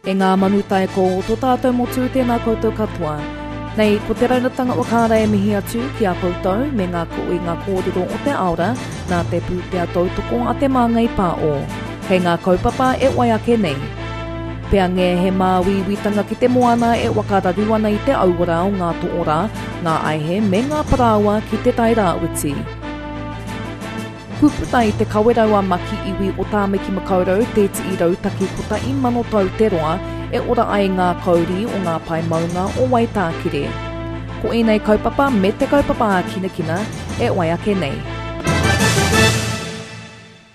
E ngā manu taiko o tō tātou motu, tēnā koutou katoa. Nei, ko te raunatanga o Kāra e mihi atu ki a koutou me ngā koinga kōrero o te aora nā te pūtea tautoko a Te Māngai Pāo. Kei ngā kaupapa e wai ake nei. Peange he māuiuitanga ki te moana e whakararu ana i te auora o ngā toorā, ngā aihe me ngā parāoa ki Te Tai Rāwhiti. Puputa i te kawerau a Maki iwi o Tāmaki Makaurau tētihi rautaki 1000 tau te roa e ora ai ngā kauri o ngā pae maunga o Waitākere. Ko ēnei kaupapa me te kaupapa ākinakina e wai ake nei.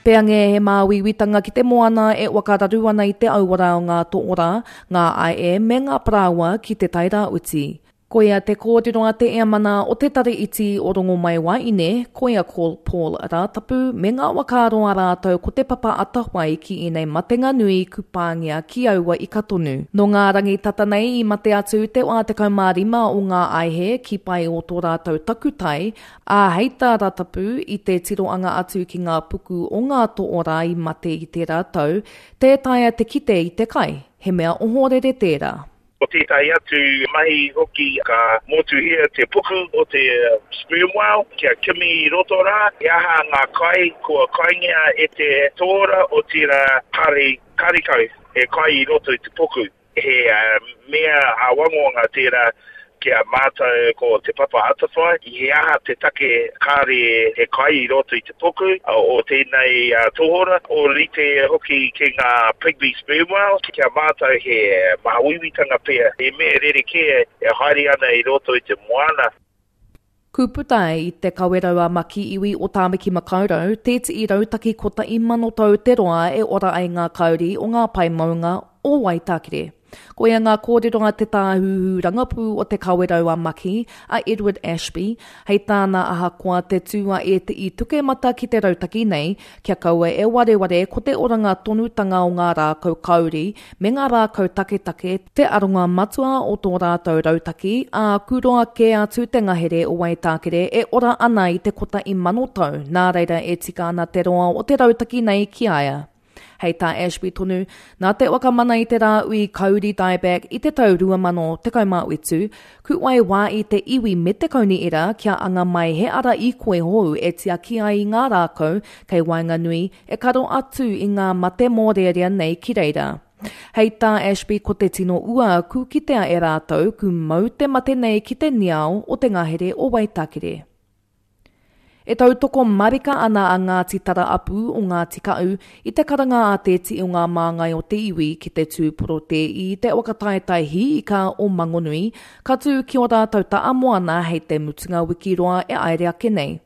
Peange he māuiuitanga ki te moana e whakararu ana i te auara o ngā toorā, ngā ae me ngā parāoa ki Te Tai Rāwhiti. Koia te kōrero a te Eamana o te Tari Iti o Rongomaiwaine, koia ko Paul Rātapu, me ngā whakaaro a rātou ko te papa atawhai ki ēnei matenga nui ku pāngia ki aua ika tonu. Nō ngā rangi tata nei i mate atu te wā 15 o ngā aihe ki pae o tō rātou takutai, ā, hei tā Rātapu, i te tiroanga atu ki ngā puku o ngā toorā i mate i tērā tau, tē taea te kite i te kai, he mea ohorere tērā. Ko tētahi atu mahi hoki ka motuhia te puku o te sperm whale kia kimi i roto rā he aha ngā kai kua kaingia e te tōra otirā kāre karekau he kai i roto i te puku. He mea āwangawanga tērā ki a mātou ko Te Papa Atawhai, he aha te take kāre he kai i roto i te puku o tēnei tohora, ōrite hoki ki ngā pygmy sperm whales, ki a mātou he māuiuitanga pea, he mea rerekē e haere ana i roto i te moana. Kūputa i te Kawerau a Maki iwi o Tāmaki Makaurau, tētihi rautaki 1000 tau te roa e ora ai ngā kauri o ngā pae maunga o Waitākere. Koia ngā kōrero a te tāhuhu rangapū o Te Kawerau a Maki, a Edward Ashby, hei tāna ahakoa te tū a ētehi tukemata ki te rautaki nei, kia kaua e wareware ko te oranga tonutanga o ngā rākau kauri me ngā rākau taketake te aronga matua o tō rātou rautaki, ā, kūroa kē atu te ngahere o Waitākere e ora ana i te 1000 tau, nā reira e tika ana te roa o te rautaki nei ki a ia. Hei tā Ashby tonu, nā te whakamana i te rāhui Kauri Dieback i te tau 2017, kuwai wā i te iwi me te kaunihera kia anga mai he ara īkoi hou e tiaki ai i ngā rākau kei waenganui e karo atu i ngā mate mōrearea nei ki reira. Hei tā Ashby ko te tino ua ku kitea e rātou ku mau te mate nei ki te niao o te ngahere o Waitakere. E tautoko marika ana a Ngāti Tara Apū o Ngāti Kaʻu i te karanga a Te Tii o ngā māngai o te iwi ki te tū porotē i te whakataetae hī ika o Mangonui, ka tū ki ō rātou ta'a moana hei te mutunga wiki roa e aere ake nei.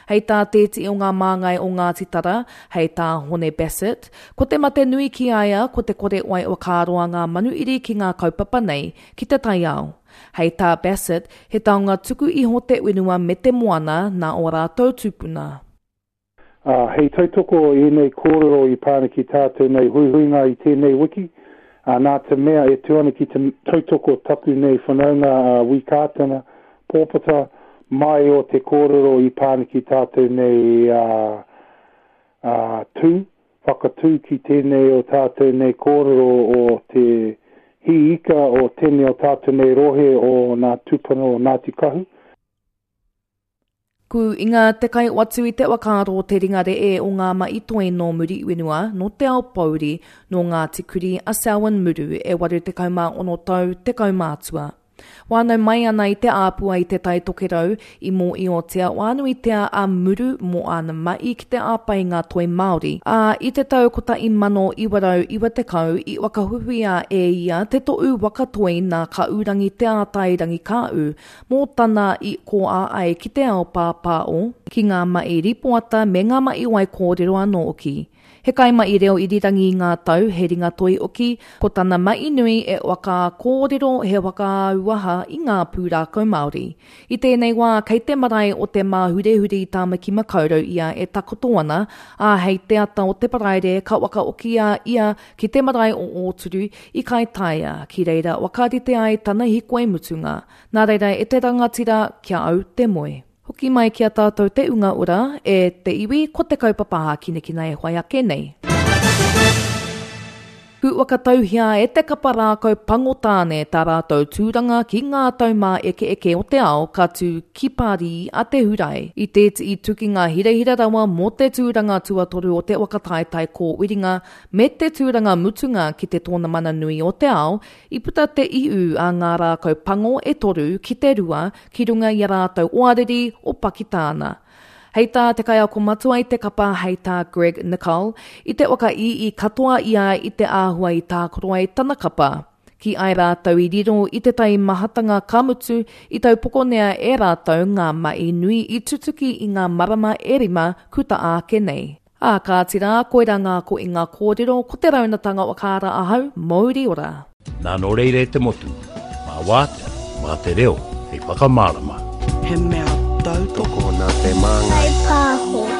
Hei tā Te Tii o ngā māngai o Ngāti Tara, hei tā Hone Bassett, ko te mate nui ki a ia ko te kore wai whakaroa ngā manuiri ki ngā kaupapa nei, ki te taiao. Hei tā Bassett, he taonga tuku iho te whenua me te moana nā ō rātou tūpuna. Ā, hei tautoko ēnei kōrero i pā ana ki tātou nei huihuinga i tēnei wiki, ā, nā te mea e tū ana ki te tautoko taku nei whanaunga a Wi Kātana Pōpata mai o te kōrero i pā ana ki tātou nei, ā, ā, tū, whakatū ki tēnei o tātou nei kōrero o te hī ika o tēnei o tātou nei rohe o nā tūpuna o Ngāti Kahu. Ku inga te kai watu i te whakaaro te ringa ree o ngā mahi toi nō Muriwhenua, nō Te Ao Pouri, nō Ngāti Kuri a Selwyn Muru e 86 tau te kaumātua. Whānau mai ana i te āpua i Te Tai Tokerau, i mōiotia whānuitia a Muru mō āna mahi ki te āpai i ngā toi Māori, ā, i te tau 1990 i whakahuhuia e ia te tohu waka toi nā Kāurangi Te Ātairangikaahu mō tana i kōā ai ki te ao pāpāo, ki ngā mahi rīpoata me ngā mahi waikōrero anō hoki. He kaimahi reo irirangi i ngā tau, he ringatoi hoki, ko tana mahi nui e whakakōrero he whakaauaha i ngā pūrākau Māori. I tēnei wā, kei te marae o Te Māhurehure i Tāmaki Makaurau ia e takoto ana, ā, hei te ata o te Paraire ka whakaokia ia ki te marae o Ōturu i Kaitaia, ki reira whakarite ai tana hikoi mutunga. Nā reira e te rangatira, kia au te moe. Hoki mai ki a tātou te unga ora, e te iwi, ko te kaupapa hākinakina e whai ake nei. Ku whakatauhia e te kapa rākau pango tāne tā rātou tūranga ki ngā taumāekeeke o te ao ka tū ki Pārī a te Hurae. I tētihi tukinga hirahira rawa mō te tūranga tuatoru o te whakataetae kōwiringa me te tūranga mutunga ki te tōnamana nui o te ao, i puta te iu a ngā rākau pango e toru ki te rua ki runga i a rātou oariri o Pakitāna. Hei tā te kaiako matua i te kapa hei tā Greg Nicoll, i te whakaīī katoa ia i te āhua i tākaro ai tana kapa. Ki ai rātou i riro i te taimahatanga ka mutu, i taupokonea e rātou ngā mahi nui i tutuki i ngā marama e rima kuta ake nei. Ā, kāti rā, koirā ngā koinga kōrero, ko te raunatanga whakaara ahau, mouri ora. Nā nō reira e te motu, mā wātea, mā te reo hei whakamārama. He mea tautoko. Tokona te māngai. Whai pāho.